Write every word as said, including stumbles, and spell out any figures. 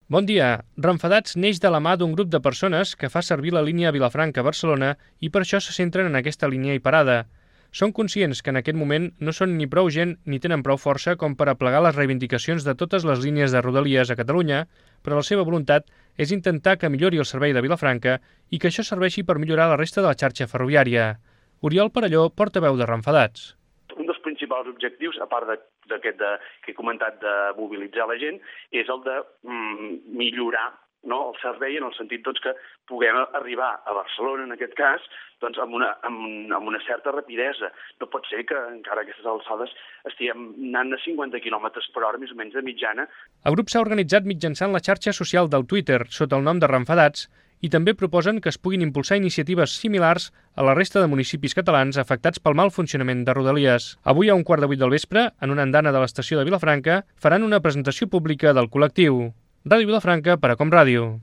Bon dia. Renfadats neix de la mà d'un grup de persones que fa servir la línia Vilafranca-Barcelona i per això se centren en aquesta línia i parada. Són conscients que en aquest moment no són ni prou gent ni tenen prou força com per aplegar les reivindicacions de totes les línies de Rodalies a Catalunya, però la seva voluntat és intentar que millori el servei de Vilafranca i que això serveixi per millorar la resta de la xarxa ferroviària. Oriol Perelló, portaveu de Renfadats. Un dels principals objectius, a part d'aquest que he comentat de mobilitzar la gent, és el de mm, millorar no, el servei en el sentit doncs, que puguem arribar a Barcelona, en aquest cas, doncs, amb, una, amb, amb una certa rapidesa. No pot ser que encara a aquestes alçades estiguem anant a cinquanta quilòmetres per hora, més o menys de mitjana. El grup s'ha organitzat mitjançant la xarxa social del Twitter, sota el nom de Renfadats, i també proposen que es puguin impulsar iniciatives similars a la resta de municipis catalans afectats pel mal funcionament de Rodalies. Avui a un quart de vuit del vespre, en una andana de l'estació de Vilafranca, faran una presentació pública del col·lectiu. Ràdio Vilafranca per a Com Ràdio.